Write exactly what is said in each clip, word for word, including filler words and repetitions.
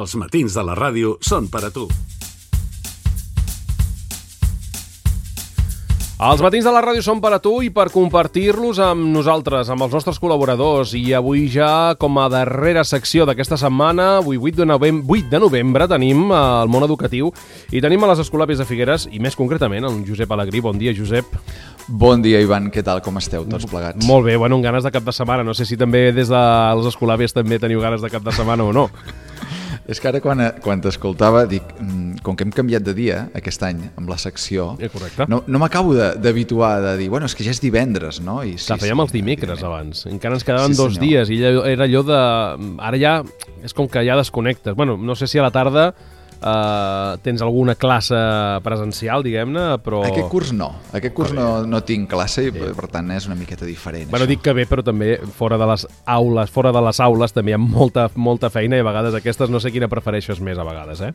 Els matins de la ràdio són per a tu. Els matins de la ràdio són per a tu i per compartir-los amb nosaltres, amb els nostres col·laboradors. I avui ja, com a darrera secció d'aquesta setmana, avui vuit de novembre, vuit de novembre, tenim el món educatiu i tenim a les Escolapis de Figueres, i més concretament el Josep Alegrí. Bon dia, Josep. Bon dia, Ivan. Què tal? Com esteu tots plegats? Molt bé, bueno, amb ganes de cap de setmana. No sé si també des dels Escolapis també teniu ganes de cap de setmana o no. És que ara quan, quan t'escoltava dic, com que hem canviat de dia aquest any amb la secció, eh, correcte. no, no m'acabo d'habituar de, de dir, bueno, és que ja és divendres, no? I sí, Clar, fèiem sí, els dimecres evidentment. abans, encara ens quedaven Sí, dos senyor. dies i era allò de... Ara ja és com que ja desconnectes. Bueno, no sé si a la tarda Uh, tens alguna classe presencial, diguem-ne, però... Aquest curs no, aquest curs no, no tinc classe i per tant és una miqueta diferent. Bueno, això. dic que bé, però també fora de les aules, fora de les aules també hi ha molta, molta feina i a vegades aquestes no sé quina prefereixes més a vegades, eh?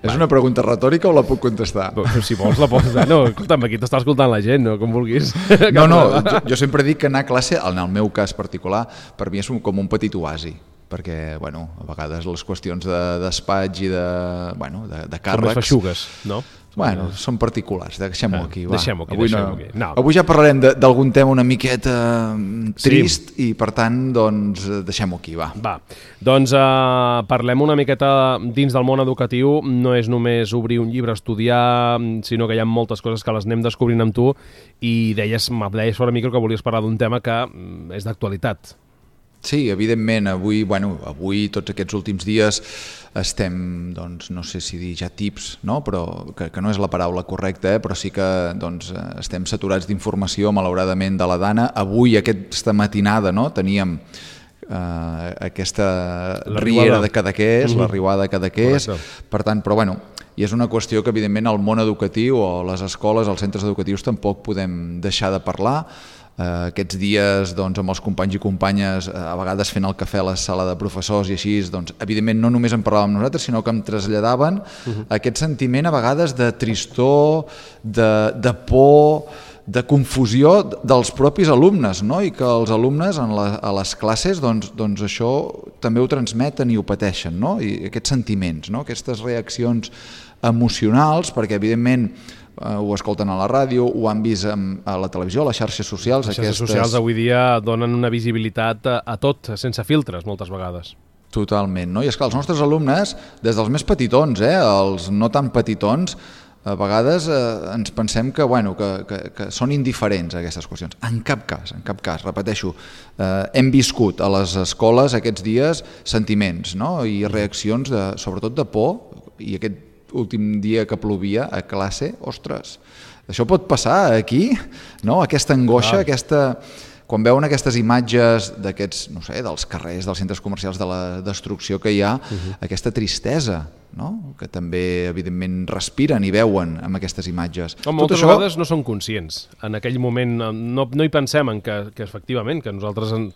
És una pregunta retòrica o la puc contestar? Si vols la pots... No, escolta'm, aquí t'està escoltant la gent, no? Com vulguis. No, no, jo, jo sempre dic que anar a classe, en el meu cas particular, per mi és un, com un petit oasi, perquè, bueno, a vegades les qüestions de despatx i de, bueno, de, de càrrecs... Com les feixugues, no? Bueno, són particulars, deixem-ho aquí, va. Deixem-ho aquí, avui, deixem-ho no, aquí. No. avui ja parlarem d'algun tema una miqueta trist sí. I per tant, doncs, deixem-ho aquí, va. Va, doncs uh, parlem una miqueta dins del món educatiu. No és només obrir un llibre, estudiar, sinó que hi ha moltes coses que les anem descobrint amb tu i deies, deies fora micro que volies parlar d'un tema que és d'actualitat. Sí, evidentment, avui, bueno, avui tots aquests últims dies estem, doncs, no sé si dir ja tips, no? Però que, que no és la paraula correcta, eh? Però sí que doncs, estem saturats d'informació, malauradament, de la Dana. Avui, aquesta matinada, no? Teníem eh, aquesta riera de Cadaqués, mm-hmm. la riuada de Cadaqués, per tant, però bueno, i és una qüestió que, evidentment, el món educatiu o les escoles, els centres educatius, tampoc podem deixar de parlar. Uh, aquests dies doncs, amb els companys i companyes uh, a vegades fent el cafè a la sala de professors i així, doncs, evidentment no només en parlàvem nosaltres, sinó que em traslladaven uh-huh. aquest sentiment a vegades de tristor, de, de por, de confusió dels propis alumnes, no? I que els alumnes en la, a les classes doncs, doncs això també ho transmeten i ho pateixen, no? I aquests sentiments, no? Aquestes reaccions emocionals, perquè evidentment Uh, ho escolten a la ràdio, ho han vist um, a la televisió, a les xarxes socials. Les xarxes aquestes... socials avui dia donen una visibilitat a, a tot, sense filtres, moltes vegades. Totalment, no? I és que els nostres alumnes, des dels més petitons, eh, els no tan petitons, a vegades eh, ens pensem que, bueno, que, que, que són indiferents a aquestes qüestions. En cap cas, en cap cas, repeteixo, eh, hem viscut a les escoles aquests dies sentiments, no? I reaccions, de, sobretot de por, i aquest últim dia que plovia a classe, ostres, això pot passar aquí, no? Aquesta angoixa, aquesta... Quan veuen aquestes imatges d'aquests, no sé, dels carrers, dels centres comercials, de la destrucció que hi ha, uh-huh. aquesta tristesa, no? Que també, evidentment, respiren i veuen amb aquestes imatges. No, moltes això... vegades no són conscients. En aquell moment no, no hi pensem en que, que efectivament, que nosaltres... En...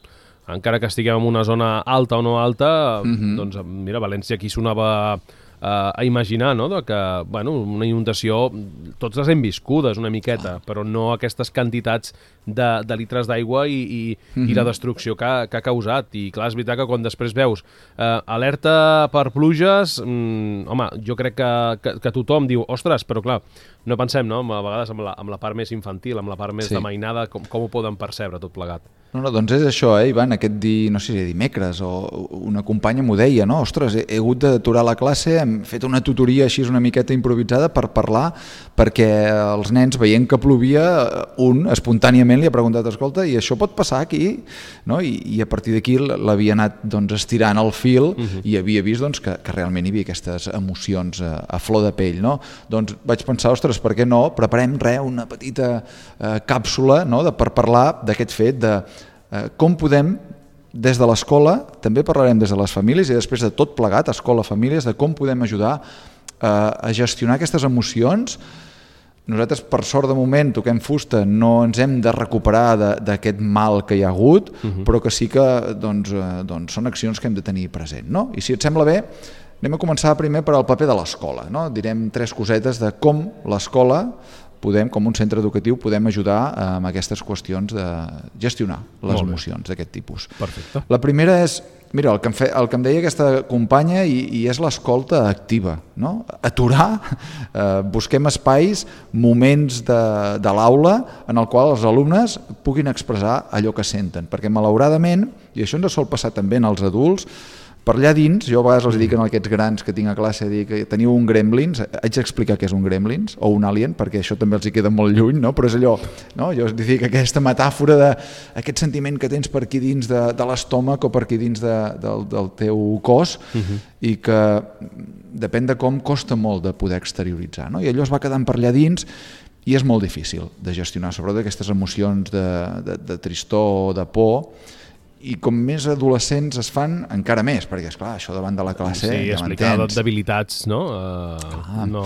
encara que estiguem en una zona alta o no alta, uh-huh. doncs mira, València aquí sonava... Uh, a imaginar, no?, de que, bueno, una inundació, tots les hem viscudes una miqueta, però no aquestes quantitats de, de litres d'aigua i, i, mm-hmm. i la destrucció que, que ha causat. I clar, és veritat que quan després veus uh, alerta per pluges, um, home, jo crec que, que, que tothom diu, ostres, però clar, no pensem, no?, a vegades amb la, amb la part més infantil, amb la part més sí. de mainada, com, com ho poden percebre tot plegat. No, no, doncs és això, eh, Ivan, aquest di, no sé si dimecres o una companya m'ho deia, no? Ostres, he, he hagut d'aturar la classe, hem fet una tutoria així una miqueta improvisada per parlar, perquè els nens, veient que plovia, un espontàniament li ha preguntat, escolta, i això pot passar aquí? No? I, i a partir d'aquí l'havia anat doncs, estirant el fil uh-huh. i havia vist doncs, que, que realment hi havia aquestes emocions a, a flor de pell, no? Doncs vaig pensar, ostres, per què no? Preparem res, una petita eh, càpsula, no? de, per parlar d'aquest fet de eh, com podem des de l'escola, també parlarem des de les famílies i després de tot plegat, escola, famílies, de com podem ajudar eh, a gestionar aquestes emocions. Nosaltres, per sort de moment, toquem fusta, no ens hem de recuperar d'aquest mal que hi ha hagut, uh-huh. però que sí que doncs, eh, doncs, són accions que hem de tenir present, no? I si et sembla bé, anem a començar primer per al paper de l'escola, no? Direm tres cosetes de com l'escola podem, com un centre educatiu, podem ajudar amb aquestes qüestions de gestionar les emocions d'aquest tipus. Perfecte. La primera és mira, el que em, fe, el que em deia aquesta companya i, i és l'escolta activa, no? Aturar, eh, busquem espais, moments de, de l'aula en el qual els alumnes puguin expressar allò que senten, perquè malauradament, i això ens sol passar també en els adults, per allà dins, jo a vegades els dic a aquests grans que tinc a classe, dic que teniu un gremlins, haig d'explicar què és un gremlins o un alien, perquè això també els hi queda molt lluny, no? Però és allò, no? Jo dic aquesta metàfora d'aquest sentiment que tens per aquí dins de, de l'estómac o per aquí dins de, del, del teu cos uh-huh. i que depèn de com costa molt de poder exterioritzar, no? I allò es va quedant per allà dins i és molt difícil de gestionar, sobretot aquestes emocions de, de, de tristor o de por. I com més adolescents es fan, encara més, perquè, esclar, això davant de la classe... Sí, ja explicar debilitats, no? Uh, ah. no...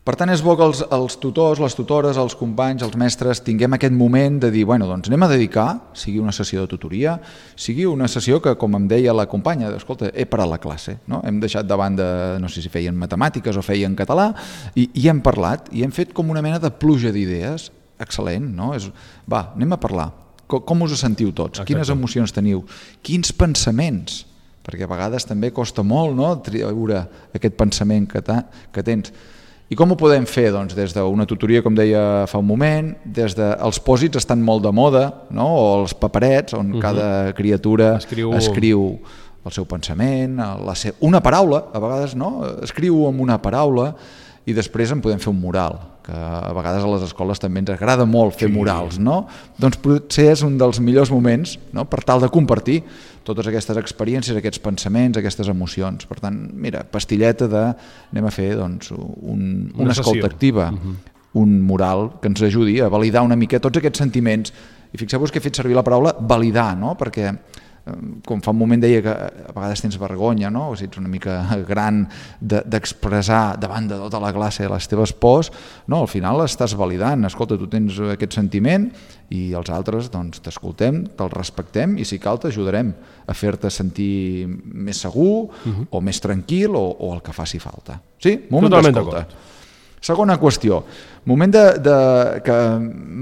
Per tant, és bo que els, els tutors, les tutores, els companys, els mestres, tinguem aquest moment de dir, bueno, doncs anem a dedicar, sigui una sessió de tutoria, sigui una sessió que, com em deia la companya, escolta, he parat la classe, no? Hem deixat de banda, no sé si feien matemàtiques o feien català, i, i hem parlat, i hem fet com una mena de pluja d'idees, excel·lent, no? És, va, anem a parlar. Com us sentiu tots? Exacte. Quines emocions teniu? Quins pensaments? Perquè a vegades també costa molt, no?, treure aquest pensament que, ta, que tens. I com ho podem fer? Doncs des d'una tutoria, com deia fa un moment, des de... Els pòsits estan molt de moda, no?, o els paperets, on uh-huh. cada criatura escriu... escriu el seu pensament, la se... una paraula, a vegades, no?, escriu amb una paraula i després en podem fer un mural, que a vegades a les escoles també ens agrada molt fer sí. murals, no? Doncs potser és un dels millors moments, no?, per tal de compartir totes aquestes experiències, aquests pensaments, aquestes emocions. Per tant, mira, pastilleta de... anem a fer doncs, un, una, una escolta activa, uh-huh. un mural que ens ajudi a validar una mica tots aquests sentiments. I fixeu-vos que he fet servir la paraula validar, no?, perquè com fa un moment deia que a vegades tens vergonya, no? O si ets una mica gran de, d'expressar davant de tota la classe les teves pors, no, al final estàs validant, escolta, tu tens aquest sentiment i els altres doncs t'escoltem, te'l respectem i si cal t'ajudarem a fer-te sentir més segur uh-huh. o més tranquil o, o el que faci falta. Sí? Moment Totalment d'escolta. D'acord. Segona qüestió, moment de, de, que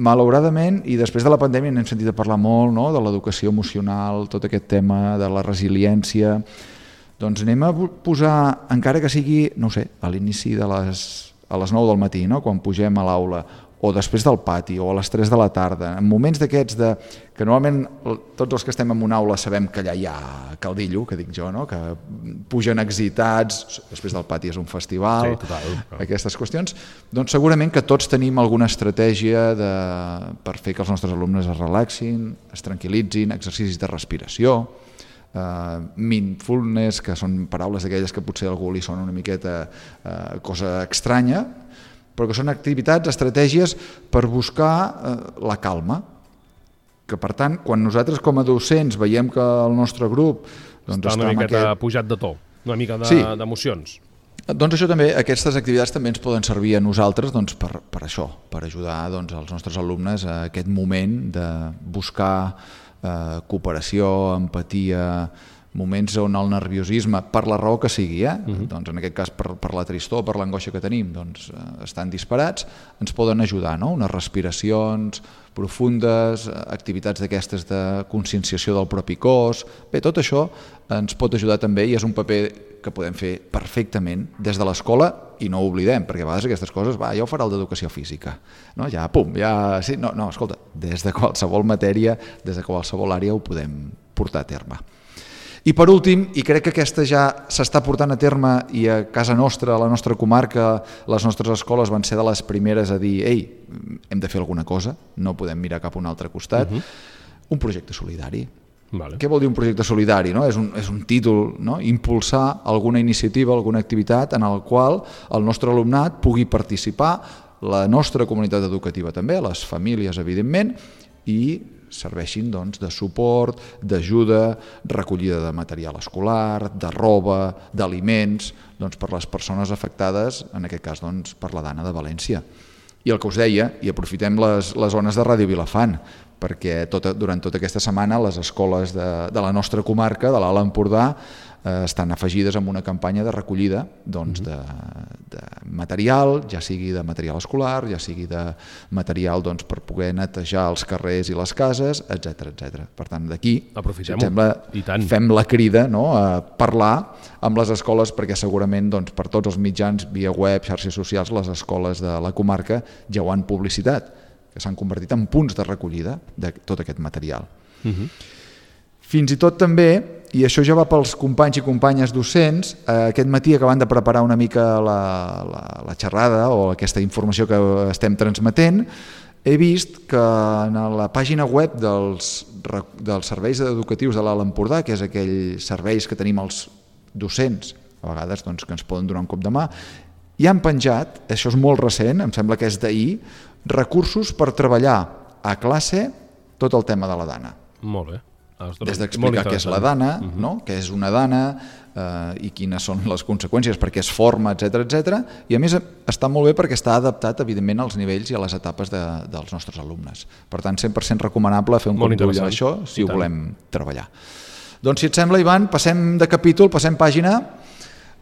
malauradament i després de la pandèmia n'hem sentit a parlar molt, no?, de l'educació emocional, tot aquest tema de la resiliència, doncs anem a posar, encara que sigui, no ho sé, a l'inici de les, a les nou del matí, no?, quan pugem a l'aula, o després del pati, o a les tres de la tarda, en moments d'aquests de, que normalment tots els que estem en una aula sabem que allà hi ha caldillo, que dic jo, no?, que pugen excitats, després del pati és un festival, sí, total, però... aquestes qüestions, doncs segurament que tots tenim alguna estratègia de, per fer que els nostres alumnes es relaxin, es tranquil·litzin, exercicis de respiració, uh, mindfulness, que són paraules d'aquelles que potser a algú li sona una miqueta uh, cosa estranya, però que són activitats, estratègies per buscar eh, la calma. Que per tant, quan nosaltres com a docents veiem que el nostre grup doncs, està una miqueta aquest... pujat de to, una mica de, sí. d'emocions. Doncs això també, aquestes activitats també ens poden servir a nosaltres doncs, per, per això, per ajudar doncs, els nostres alumnes a aquest moment de buscar eh, cooperació, empatia, moments on el nerviosisme, per la raó que sigui, eh? uh-huh. doncs en aquest cas per, per la tristor, per l'angoixa que tenim, doncs eh, estan disparats, ens poden ajudar, no? Unes respiracions profundes, activitats d'aquestes de conscienciació del propi cos, bé, tot això ens pot ajudar també i és un paper que podem fer perfectament des de l'escola i no ho oblidem, perquè a vegades aquestes coses, va, ja ho farà el d'educació física, no? Ja, pum, ja, sí, no, no, escolta, des de qualsevol matèria, des de qualsevol àrea ho podem portar a terme. I per últim, i crec que aquesta ja s'està portant a terme i a casa nostra, a la nostra comarca, les nostres escoles van ser de les primeres a dir ei, hem de fer alguna cosa, no podem mirar cap a un altre costat, uh-huh. un projecte solidari. Vale. Què vol dir un projecte solidari? No? És, un, és un títol, no? Impulsar alguna iniciativa, alguna activitat en el qual el nostre alumnat pugui participar, la nostra comunitat educativa també, les famílies evidentment, i serveixin doncs, de suport, d'ajuda, recollida de material escolar, de roba, d'aliments, doncs, per les persones afectades, en aquest cas doncs, per la Dana de València. I el que us deia, i aprofitem les, les zones de Ràdio Vilafant, perquè tota, durant tota aquesta setmana les escoles de, de la nostra comarca, de l'Alt Empordà, eh, estan afegides en una campanya de recollida doncs, de, de material, ja sigui de material escolar, ja sigui de material doncs, per poder netejar els carrers i les cases, etcètera etcètera. Per tant, d'aquí, si et sembla, fem la crida, no?, a parlar amb les escoles, perquè segurament doncs, per tots els mitjans, via web, xarxes socials, les escoles de la comarca ja ho han publicitat, que s'han convertit en punts de recollida de tot aquest material. Uh-huh. Fins i tot també, i això ja va pels companys i companyes docents, eh, aquest matí acabant de preparar una mica la, la, la xerrada o aquesta informació que estem transmetent, he vist que en la pàgina web dels, dels serveis educatius de l'Alt Empordà, que és aquells serveis que tenim els docents, a vegades doncs, que ens poden donar un cop de mà, hi han penjat, això és molt recent, em sembla que és d'ahir, recursos per treballar a classe tot el tema de la dana. Molt bé. Des d'explicar què és la dana, uh-huh. no? Què és una dana eh, i quines són les conseqüències, perquè es forma, etcètera etcètera. I a més està molt bé perquè està adaptat evidentment als nivells i a les etapes de, dels nostres alumnes. Per tant, cent per cent recomanable fer un cop d'ull a això si ho volem treballar. Doncs si et sembla, Ivan, passem de capítol, passem pàgina.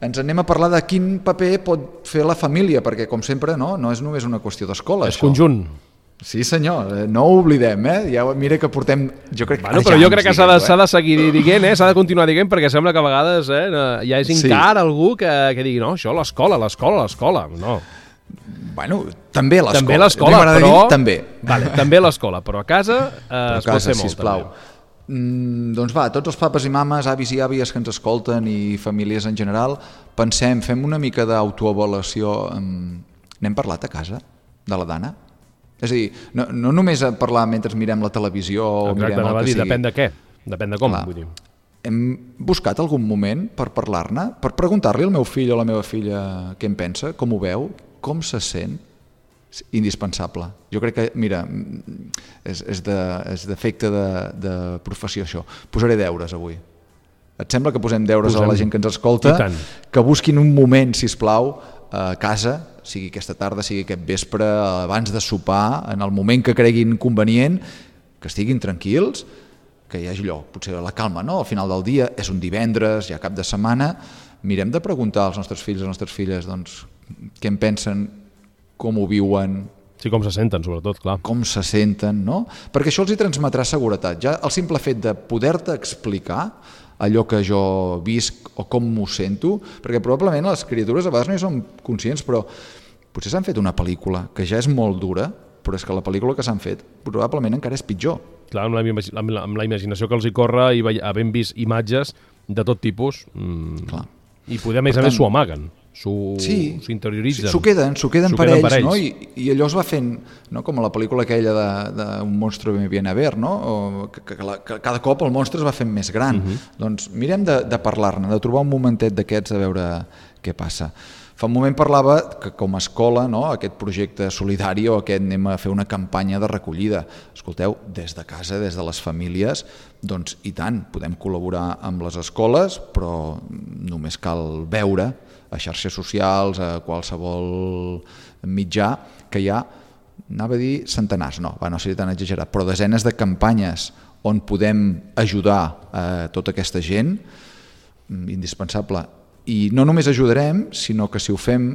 Ens anem a parlar de quin paper pot fer la família, perquè, com sempre, no, no és només una qüestió d'escola. És això. Conjunt. Sí, senyor, no ho oblidem, eh? Ja, mira que portem... Jo crec, bueno, però jo crec que s'ha de, eh? de seguir dient, eh? S'ha de continuar dient, perquè sembla que a vegades eh, ja és encara sí. algú que, que digui no, això l'escola, l'escola, l'escola, no. Bueno, també l'escola. També l'escola, però... Dir, també. Vale, també l'escola, però a casa eh, però a es casa, pot fer molt, sisplau. També. Mm, doncs va, tots els papes i mames, avis i àvies que ens escolten i famílies en general, pensem, fem una mica d'autoavaluació. N'hem parlat a casa de la dana? És a dir, no, no només a parlar mentre mirem la televisió o Exacte, mirem el que dir, sigui. Depèn de què, depèn de com. Clar, vull dir. Hem buscat algun moment per parlar-ne, per preguntar-li al meu fill o a la meva filla què en pensa, com ho veu, com se sent. Indispensable. Jo crec que, mira, és, és, de, és d'efecte de, de professió això. Posaré deures avui. Et sembla que posem deures posem. a la gent que ens escolta? Que busquin un moment, sisplau, a casa, sigui aquesta tarda, sigui aquest vespre, abans de sopar, en el moment que creguin convenient, que estiguin tranquils, que hi hagi allò, potser la calma, no? Al final del dia, és un divendres, ja cap de setmana, mirem de preguntar als nostres fills i a les nostres filles doncs, què en pensen, com ho viuen... Sí, com se senten, sobretot, clar. Com se senten, no? Perquè això els hi transmetrà seguretat. Ja el simple fet de poder-te explicar allò que jo visc o com m'ho sento, perquè probablement les criatures a vegades no hi són conscients, però potser s'han fet una pel·lícula que ja és molt dura, però és que la pel·lícula que s'han fet probablement encara és pitjor. Clar, amb la, amb la, amb la imaginació que els hi corre i havent vist imatges de tot tipus, mmm, clar. I poder, a més a més, s'ho amaguen. S'ho sí, interioritzen. S'ho queden, s'ho queden per ells, per ells. No? I, i allò es va fent, no? Com a la pel·lícula aquella d'un monstre me viene a ver, no? O que, que, la, que cada cop el monstre es va fent més gran. Uh-huh. Doncs mirem de, de parlar-ne, de trobar un momentet d'aquests a veure què passa. Fa un moment parlava que com a escola, no? Aquest projecte solidari o aquest anem a fer una campanya de recollida. Escolteu, des de casa, des de les famílies, doncs i tant, podem col·laborar amb les escoles, però només cal veure a xarxes socials, a qualsevol mitjà, que hi ha, anava a dir centenars, no, va, no seria tan exagerat, però desenes de campanyes on podem ajudar a tota aquesta gent, indispensable. I no només ajudarem, sinó que si ho fem,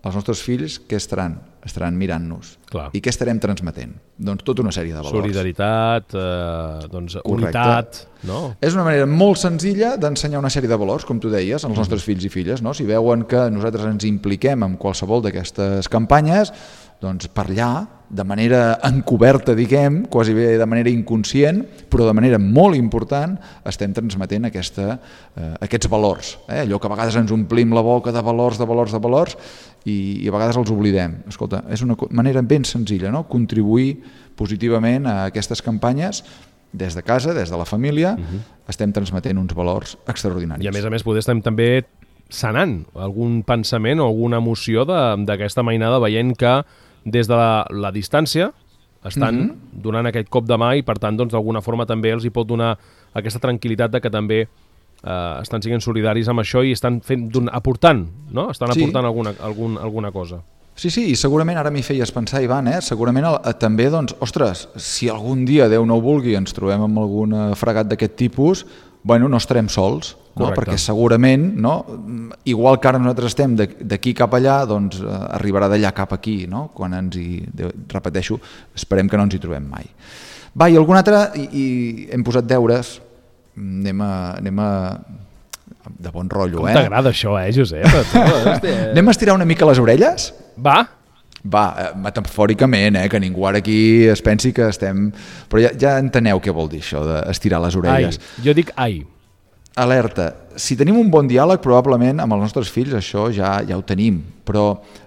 els nostres fills, què estaran? Estaran mirant-nos. Clar. I què estarem transmetent? Doncs tota una sèrie de valors. Solidaritat, eh, doncs unitat, no? És una manera molt senzilla d'ensenyar una sèrie de valors, com tu deies, als nostres fills i filles, no? Si veuen que nosaltres ens impliquem en qualsevol d'aquestes campanyes, doncs per allà, de manera encoberta, diguem, quasi bé de manera inconscient, però de manera molt important, estem transmetent aquesta, eh, aquests valors. Eh? Allò que a vegades ens omplim la boca de valors, de valors, de valors, i, i a vegades els oblidem. Escolta, és una manera ben senzilla, no? Contribuir positivament a aquestes campanyes des de casa, des de la família, uh-huh. estem transmetent uns valors extraordinaris. I a més a més poder estem també sanant algun pensament o alguna emoció d'aquesta mainada, veient que des de la, la distància estan uh-huh. donant aquest cop de mà i per tant doncs, d'alguna forma també els hi pot donar aquesta tranquil·litat de que també eh, estan sent solidaris amb això i estan fent, aportant, no? Estan sí. aportant alguna, algun, alguna cosa. Sí, sí, i segurament ara m'hi feies pensar, Ivan, eh? segurament el, també, doncs, ostres, si algun dia, Déu no ho vulgui, ens trobem amb algun fregat d'aquest tipus, bueno, no estarem sols, no? Perquè segurament, no? Igual que ara nosaltres estem d'aquí cap allà, doncs eh, arribarà d'allà cap aquí, no? Quan ens hi, repeteixo, esperem que no ens hi trobem mai. Va, i algun altre, i, i hem posat deures, anem a, anem a de bon rotllo, Com eh? Com t'agrada això, eh, Josep? Anem a estirar una mica les orelles? Va. Va, metafòricament, eh, que ningú ara aquí es pensi que estem... Però ja, ja enteneu què vol dir això d'estirar les orelles. Ai, jo dic ai. Alerta, si tenim un bon diàleg, probablement amb els nostres fills això ja ja ho tenim, però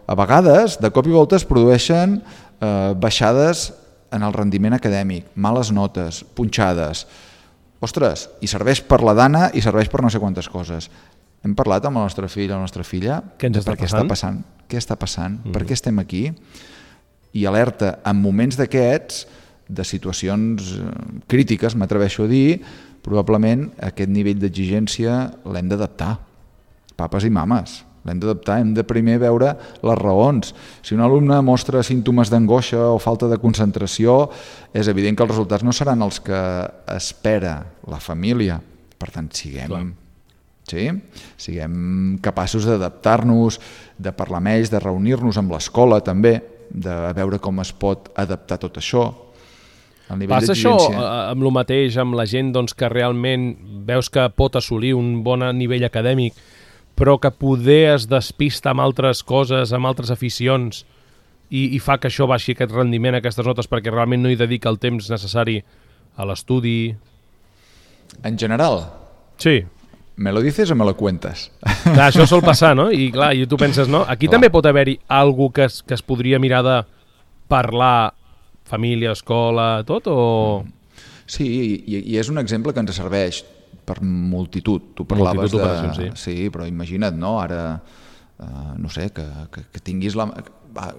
a vegades, de cop i volta, es produeixen eh, baixades en el rendiment acadèmic, males notes, punxades. Ostres, i serveix per la dana i serveix per no sé quantes coses. Hem parlat amb el nostre fill o la nostra filla què ens està per què passant? està passant, què està passant, mm. per què estem aquí, i alerta, en moments d'aquests, de situacions crítiques, m'atreveixo a dir, probablement aquest nivell d'exigència l'hem d'adaptar, papes i mames, l'hem d'adaptar, hem de primer veure les raons. Si un alumne mostra símptomes d'angoixa o falta de concentració, és evident que els resultats no seran els que espera la família, per tant, siguem... Clar. Sí? Siguem capaços d'adaptar-nos, de parlar amb ells, de reunir-nos amb l'escola també, de veure com es pot adaptar tot això. Passa això amb el mateix, amb la gent doncs, que realment veus que pot assolir un bon nivell acadèmic, però que poder es despista amb altres coses, amb altres aficions, i, i fa que això baixi aquest rendiment, aquestes notes, perquè realment no hi dedica el temps necessari a l'estudi? En general? Sí. Me lo dices o me lo cuentas? Clar, això sol passar, no? I clar, i tu penses, no? Aquí clar. També pot haver-hi algú que es, que es podria mirar de parlar família, escola, tot, o...? Sí, i, i és un exemple que ens serveix per multitud. Tu parlaves multitud de... Sí. sí, però imagina't, no? Ara, uh, no sé, que, que, que tinguis la... Va,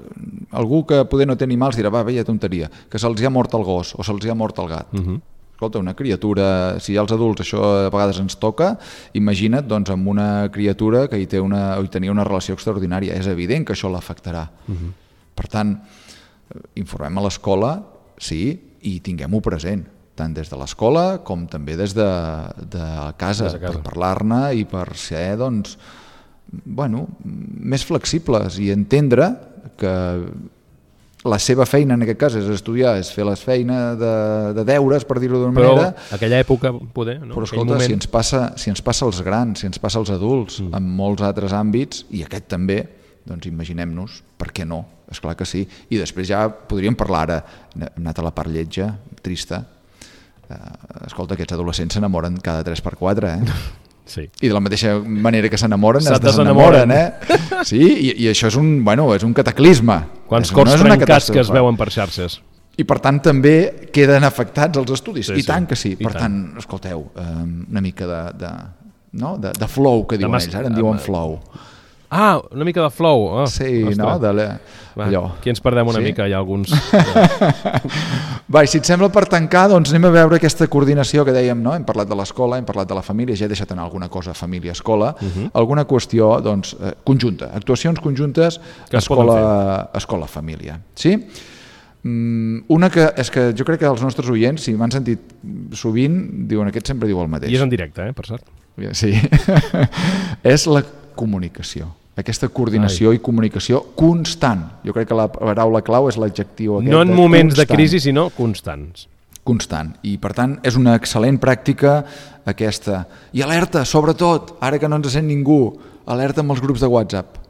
algú que poder no té animals dirà, va, veia tonteria, que se'ls ha mort el gos o se'ls ha mort el gat. Uh-huh. Escolta, una criatura, si als adults això a vegades ens toca, imagina't doncs, amb una criatura que hi, té una, hi tenia una relació extraordinària. És evident que això l'afectarà. Uh-huh. Per tant, informem a l'escola, sí, i tinguem-ho present, tant des de l'escola com també des de, de casa, des de casa, per parlar-ne i per ser doncs, bueno, més flexibles i entendre que la seva feina, en aquest cas, és estudiar, és fer les feines de, de deures, per dir-ho d'una manera. Però aquella època, poder, no? Però escolta, moment... si, ens passa, si ens passa als grans, si ens passa als adults, mm. en molts altres àmbits, i aquest també, doncs imaginem-nos, per què no? Esclar que sí. I després ja podríem parlar ara, hem anat a la part lletja, trista. Uh, escolta, aquests adolescents s'enamoren cada tres per quatre, eh? Sí. I de la mateixa manera que s'enamoren es desenamoren, eh? Sí, i, i això és un, bueno, és un cataclisme. Quants cors no trencats que es veuen per xarxes. I per tant també queden afectats els estudis. Sí, I tant sí. que sí. I per tant, tant, escolteu, una mica de, de, no? de, de flow que diuen ells, ara en diuen flow. Ah, una mica de flow. Oh, sí, ostres. No? De la... Va, aquí ens perdem una sí? mica, hi ha alguns... Va, i si et sembla per tancar, doncs anem a veure aquesta coordinació que dèiem, no? Hem parlat de l'escola, hem parlat de la família, ja he deixat anar alguna cosa família-escola, uh-huh. alguna qüestió doncs, eh, conjunta, actuacions conjuntes escola-família. Sí? Mm, una que és que jo crec que els nostres oients, si m'han sentit sovint, diuen aquest sempre diu el mateix. I és en directe, eh, per cert. Sí. És la comunicació. Aquesta coordinació Ai. i comunicació constant. Jo crec que la paraula clau és l'adjectiu aquest. No en moments constant. De crisi, sinó constants. Constant. I, per tant, és una excel·lent pràctica aquesta. I alerta, sobretot, ara que no ens sent ningú, alerta amb els grups de WhatsApp.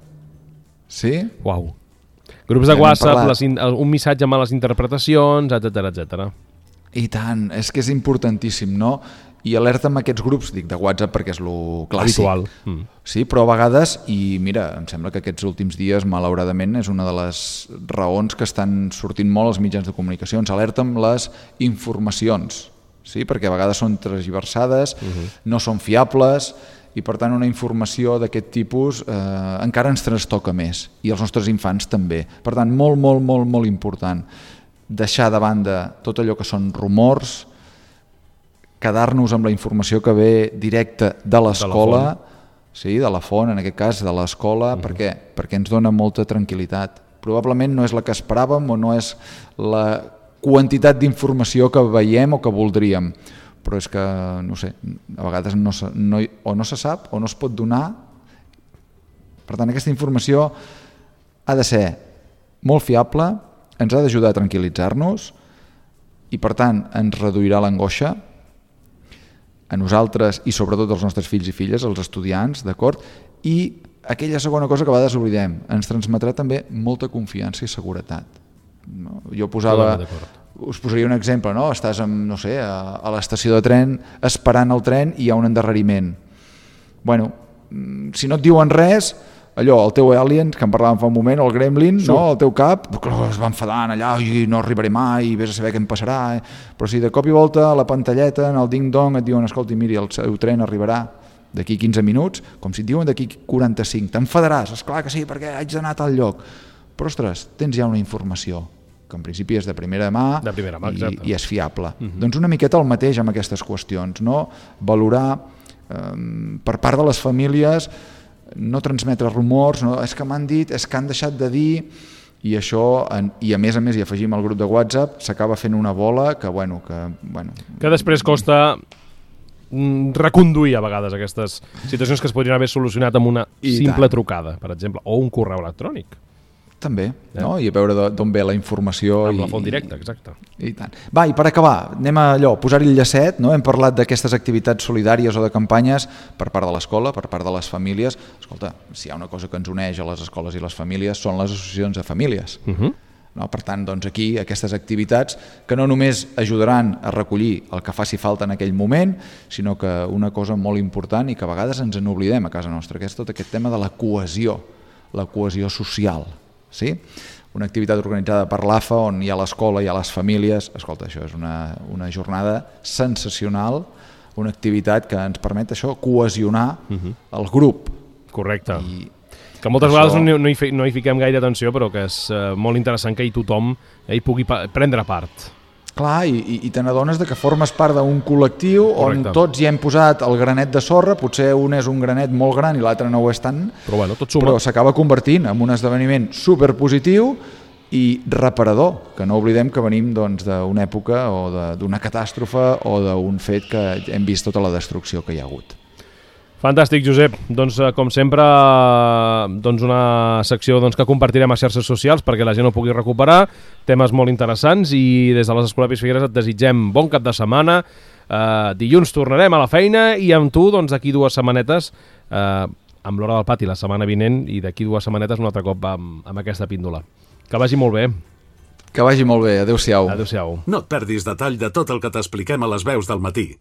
Sí? Uau. Grups de WhatsApp, les, un missatge amb les interpretacions, etcètera, etcètera. I tant, és que és importantíssim, no? I alerta amb aquests grups, dic de WhatsApp perquè és lo clàssic. Habitual. Mm. Sí, però a vegades, i mira, em sembla que aquests últims dies, malauradament, és una de les raons que estan sortint molt als mitjans de comunicació. Ens alerta amb les informacions, sí? Perquè a vegades són transversades, uh-huh. no són fiables, i per tant una informació d'aquest tipus eh, encara ens trastoca més, i els nostres infants també. Per tant, molt, molt, molt, molt important deixar de banda tot allò que són rumors, quedar-nos amb la informació que ve directa de l'escola, sí, de la font, en aquest cas, de l'escola. Uh-huh. Per què? Perquè ens dona molta tranquil·litat. Probablement no és la que esperàvem o no és la quantitat d'informació que veiem o que voldríem, però és que, no sé, a vegades no, no, o no se sap o no es pot donar. Per tant, aquesta informació ha de ser molt fiable, ens ha d'ajudar a tranquil·litzar-nos i, per tant, ens reduirà l'angoixa a nosaltres i sobretot als nostres fills i filles, als estudiants, d'acord? I aquella segona cosa que a vegades oblidem, ens transmetrà també molta confiança i seguretat. No? Jo posava, us posaria un exemple, no? Estàs amb, no sé, a, a l'estació de tren esperant el tren i hi ha un endarreriment. Bueno, si no et diuen res, allò, el teu alien, que en parlàvem fa un moment, el gremlin, sí. No? El teu cap, es va enfadant allà, i no arribaré mai, vés a saber què em passarà. Eh? Però si de cop i volta a la pantalleta, en el ding-dong, et diuen, escolti, miri, el seu tren arribarà d'aquí quinze minuts, com si et diuen d'aquí quaranta-cinc, t'enfadaràs, esclar que sí, perquè haig d'anar a tal lloc. Però, ostres, tens ja una informació que en principi és de primera mà, de primera mà i, i és fiable. Uh-huh. Doncs una miqueta el mateix amb aquestes qüestions, no? Valorar eh, per part de les famílies, no transmetre rumors, no, és que m'han dit, és que han deixat de dir, i això, en, i a més a més hi afegim el grup de WhatsApp, s'acaba fent una bola que, bueno, que, bueno... Que després costa reconduir a vegades aquestes situacions que es podrien haver solucionat amb una I simple tant. trucada, per exemple, o un correu electrònic. També, eh? No? I a veure d'on ve la informació. Amb i, la font directa, exacte. I tant. Va, i per acabar, anem a allò, posar-hi el llacet, no? Hem parlat d'aquestes activitats solidàries o de campanyes per part de l'escola, per part de les famílies. Escolta, si hi ha una cosa que ens uneix a les escoles i les famílies són les associacions de famílies. Uh-huh. No? Per tant, doncs aquí, aquestes activitats que no només ajudaran a recollir el que faci falta en aquell moment, sinó que una cosa molt important i que a vegades ens n'oblidem a casa nostra, que és tot aquest tema de la cohesió, la cohesió social. Sí? Una activitat organitzada per l'A F A on hi ha l'escola, hi ha les famílies. Escolta, això és una, una jornada sensacional, una activitat que ens permet això, cohesionar uh-huh. el grup. Correcte. I que moltes això... vegades no, no, hi, no hi fiquem gaire atenció, però que és uh, molt interessant que hi tothom eh, hi pugui pa- prendre part. Clar, i, i, i te n'adones que formes part d'un col·lectiu Correcte. On tots hi hem posat el granet de sorra, potser un és un granet molt gran i l'altre no ho és tant, però, bueno, tot suma. Però s'acaba convertint en un esdeveniment superpositiu i reparador, que no oblidem que venim doncs, d'una època o de, d'una catàstrofe o d'un fet que hem vist tota la destrucció que hi ha hagut. Fantàstic, Josep. Doncs, com sempre, doncs una secció doncs, que compartirem a xarxes socials perquè la gent ho pugui recuperar. Temes molt interessants i des de les Escolapis Figueres et desitgem bon cap de setmana. Uh, dilluns tornarem a la feina i amb tu doncs, d'aquí dues setmanetes, uh, amb l'Hora del Pati la setmana vinent i d'aquí dues setmanetes un altre cop amb, amb aquesta píndola. Que vagi molt bé. Que vagi molt bé. Adéu-siau. Adéu-siau. No et perdis detall de tot el que t'expliquem a les veus del matí.